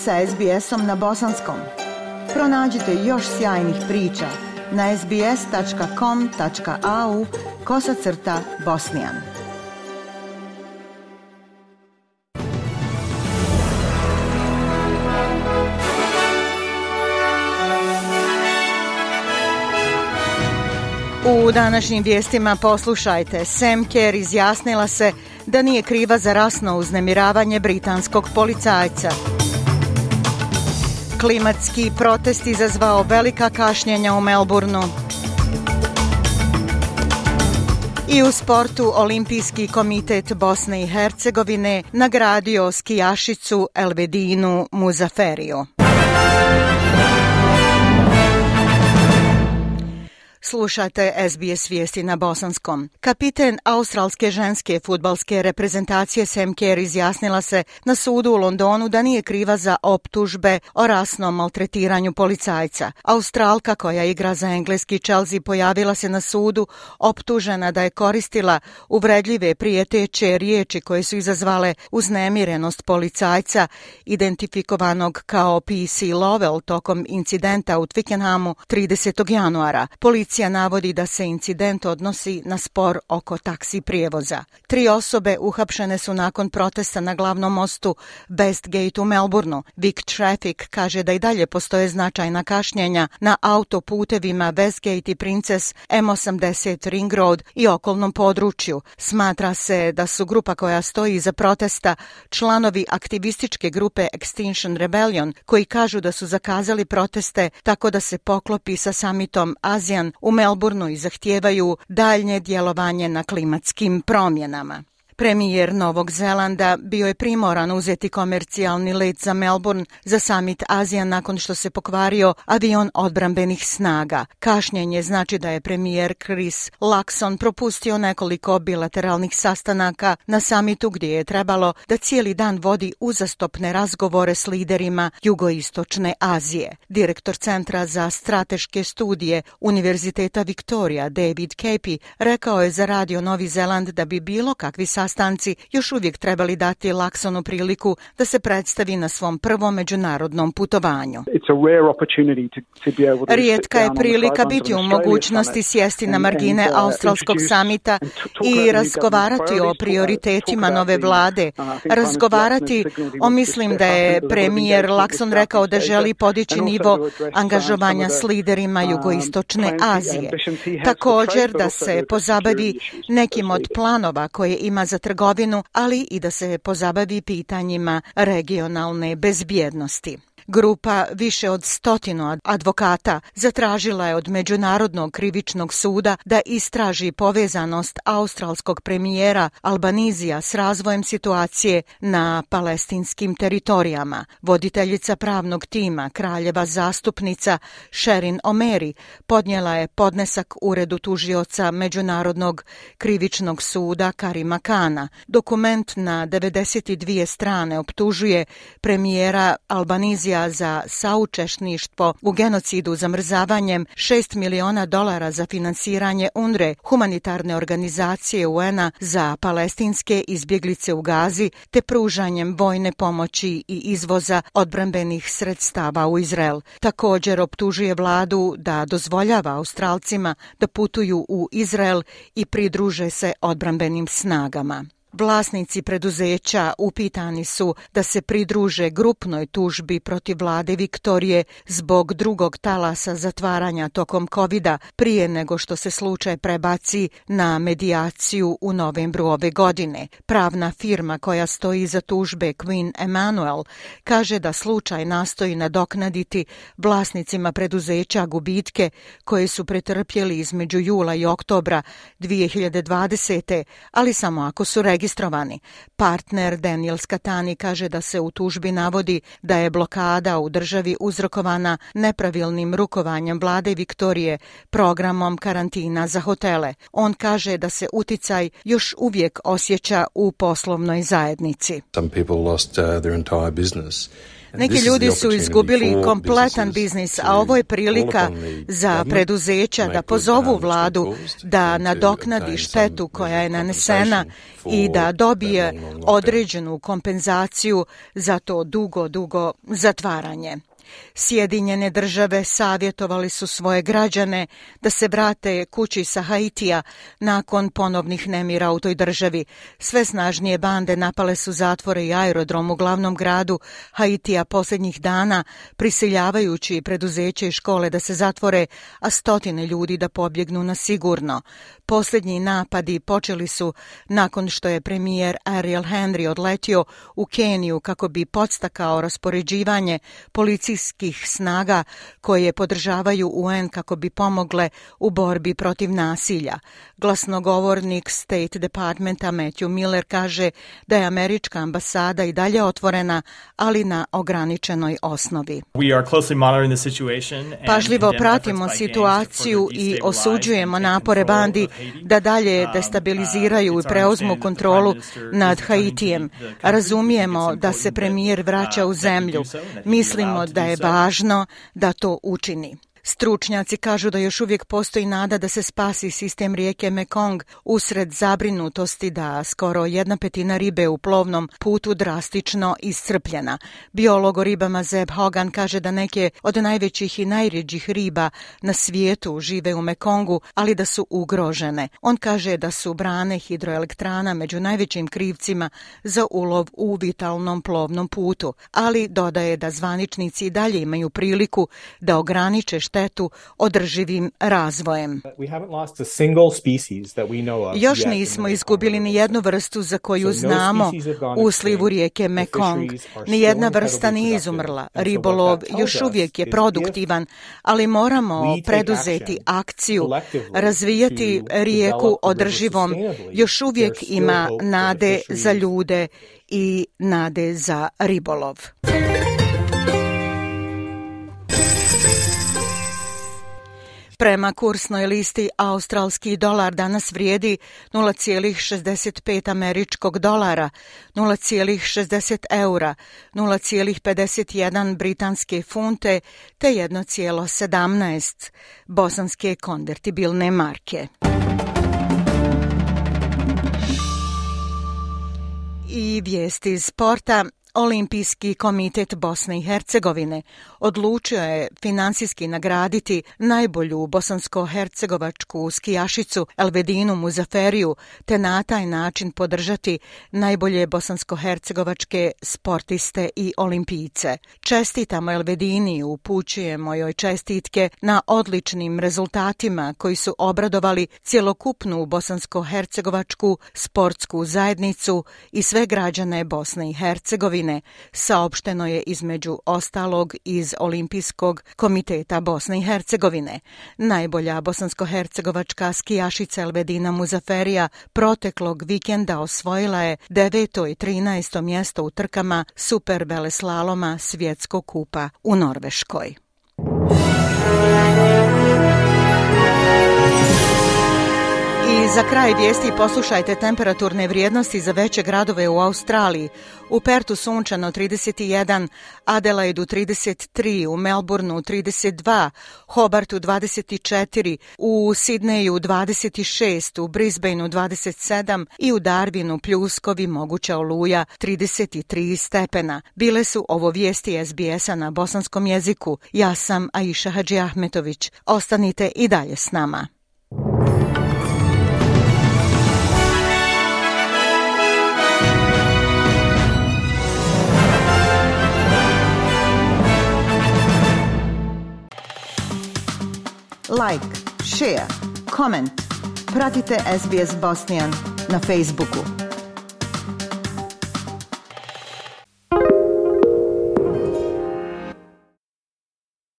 sa SBS-om na bosanskom. Pronađite još sjajnih priča na sbs.com.au/bosnian. U današnjim vijestima poslušajte, Sam Kerr izjasnila se da nije kriva za rasno uznemiravanje britanskog policajca. Klimatski protest izazvao velika kašnjenja u Melbourneu. I u sportu Olimpijski komitet Bosne i Hercegovine nagradio skijašicu Elvedinu Muzaferiju. Slušate SBS vijesti na bosanskom. Kapiten australske ženske fudbalske reprezentacije Sam Kerr izjasnila se na sudu u Londonu da nije kriva za optužbe o rasnom maltretiranju policajca. Australka koja igra za engleski Chelsea pojavila se na sudu optužena da je koristila uvredljive prijeteće riječi koje su izazvale uznemirenost policajca identifikovanog kao PC Lovell tokom incidenta u Twickenhamu 30. januara. Policija navodi da se incident odnosi na spor oko taksi prijevoza. 3 osobe uhapšene su nakon protesta na glavnom mostu Westgate u Melbourneu. Vic Traffic kaže da i dalje postoje značajna kašnjenja na autoputevima Westgate i Princess, M80 Ring Road i okolnom području. Smatra se da su grupa koja stoji iza protesta članovi aktivističke grupe Extinction Rebellion, koji kažu da su zakazali proteste tako da se poklopi sa samitom ASEAN u Melbourneu i zahtijevaju daljnje djelovanje na klimatskim promjenama. Premijer Novog Zelanda bio je primoran uzeti komercijalni let za Melbourne za summit ASEAN nakon što se pokvario avion odbrambenih snaga. Kašnjenje znači da je premijer Chris Luxon propustio nekoliko bilateralnih sastanaka na summitu gdje je trebalo da cijeli dan vodi uzastopne razgovore s liderima jugoistočne Azije. Direktor Centra za strateške studije Univerziteta Victoria David Capey rekao je za Radio Novi Zeland da bi bilo kakvi sastanci još uvijek trebali dati Luxonu priliku da se predstavi na svom prvom međunarodnom putovanju. Rijetka je prilika biti u mogućnosti sjesti na margine australskog samita i razgovarati o prioritetima nove vlade. Mislim da je premijer Luxon rekao da želi podići nivo angažovanja s liderima jugoistočne Azije. Također da se pozabavi nekim od planova koje ima za trgovinu, ali i da se pozabavi pitanjima regionalne bezbjednosti. Grupa više od 100 advokata zatražila je od Međunarodnog krivičnog suda da istraži povezanost australskog premijera Albanizija s razvojem situacije na palestinskim teritorijama. Voditeljica pravnog tima, kraljeva zastupnica Sherin O'Mary, podnijela je podnesak uredu tužioca Međunarodnog krivičnog suda Karima Kana. Dokument na 92 strane optužuje premijera Albanizija za saučesništvo u genocidu zamrzavanjem $6 miliona za finansiranje UNRWA, humanitarne organizacije UN-a za palestinske izbjeglice u Gazi, te pružanjem vojne pomoći i izvoza odbrambenih sredstava u Izrael. Također optužuje vladu da dozvoljava Australcima da putuju u Izrael i pridruže se odbrambenim snagama. Vlasnici preduzeća upitani su da se pridruže grupnoj tužbi protiv vlade Viktorije zbog drugog talasa zatvaranja tokom COVID-a prije nego što se slučaj prebaci na medijaciju u novembru ove godine. Pravna firma koja stoji iza tužbe Queen Emanuel kaže da slučaj nastoji nadoknaditi vlasnicima preduzeća gubitke koje su pretrpjeli između jula i oktobra 2020. ali samo ako su registrovani. Partner Daniel Skatani kaže da se u tužbi navodi da je blokada u državi uzrokovana nepravilnim rukovanjem vlade Viktorije programom karantina za hotele. On kaže da se uticaj još uvijek osjeća u poslovnoj zajednici. Some people lost their entire business. Neki ljudi su izgubili kompletan biznis, a ovo je prilika za preduzeća da pozovu vladu da nadoknadi štetu koja je nanesena i da dobije određenu kompenzaciju za to dugo zatvaranje. Sjedinjene države savjetovali su svoje građane da se vrate kući sa Haitija nakon ponovnih nemira u toj državi. Sve snažnije bande napale su zatvore i aerodrom u glavnom gradu Haitija posljednjih dana, prisiljavajući preduzeće i škole da se zatvore, a stotine ljudi da pobjegnu na sigurno. Posljednji napadi počeli su nakon što je premijer Ariel Henry odletio u Keniju kako bi podstakao raspoređivanje policijskih snaga koje podržavaju UN kako bi pomogle u borbi protiv nasilja. Glasnogovornik State Departmenta Matthew Miller kaže da je američka ambasada i dalje otvorena, ali na ograničenoj osnovi. Pažljivo pratimo situaciju i osuđujemo napore bandi da dalje destabiliziraju i preuzmu kontrolu nad Haitijem. Razumijemo da se premijer vraća u zemlju. Mislimo da je važno da to učini. Stručnjaci kažu da još uvijek postoji nada da se spasi sistem rijeke Mekong usred zabrinutosti da skoro 1/5 ribe u plovnom putu drastično iscrpljena. Biolog o ribama Zeb Hogan kaže da neke od najvećih i najrjeđih riba na svijetu žive u Mekongu, ali da su ugrožene. On kaže da su brane hidroelektrana među najvećim krivcima za ulov u vitalnom plovnom putu, ali dodaje da zvaničnici i dalje imaju priliku da ograniče štetu održivim razvojem. Još nismo izgubili ni jednu vrstu za koju znamo u slivu rijeke Mekong. Nijedna vrsta nije izumrla. Ribolov još uvijek je produktivan, ali moramo preduzeti akciju, razvijati rijeku održivom. Još uvijek ima nade za ljude i nade za ribolov. Prema kursnoj listi australski dolar danas vrijedi 0,65 američkog dolara, 0,60 eura, 0,51 britanske funte te 1,17 bosanske konvertibilne marke. I vijesti iz sporta. Olimpijski komitet Bosne i Hercegovine odlučio je finansijski nagraditi najbolju bosansko-hercegovačku skijašicu Elvedinu Muzaferiju te na taj način podržati najbolje bosansko-hercegovačke sportiste i olimpijce. Čestitamo Elvedini, upućujemo joj čestitke na odličnim rezultatima koji su obradovali cjelokupnu bosansko-hercegovačku sportsku zajednicu i sve građane Bosne i Hercegovine, saopšteno je između ostalog iz Olimpijskog komiteta Bosne i Hercegovine. Najbolja bosansko-hercegovačka skijašica Elvedina Muzaferija proteklog vikenda osvojila je 9. i 13. mjesto u trkama super veleslaloma svjetskog kupa u Norveškoj. I za kraj vijesti poslušajte temperaturne vrijednosti za veće gradove u Australiji. U Pertu sunčano 31, Adelaidu 33, u Melbourneu 32, Hobartu 24, u Sidneju 26, u Brisbaneu 27 i u Darwinu pljuskovi moguća oluja 33 stepena. Bile su ovo vijesti SBS-a na bosanskom jeziku. Ja sam Aisha Hadži Ahmetović. Ostanite i dalje s nama. Like, share, comment. Pratite SBS Bosnian na Facebooku.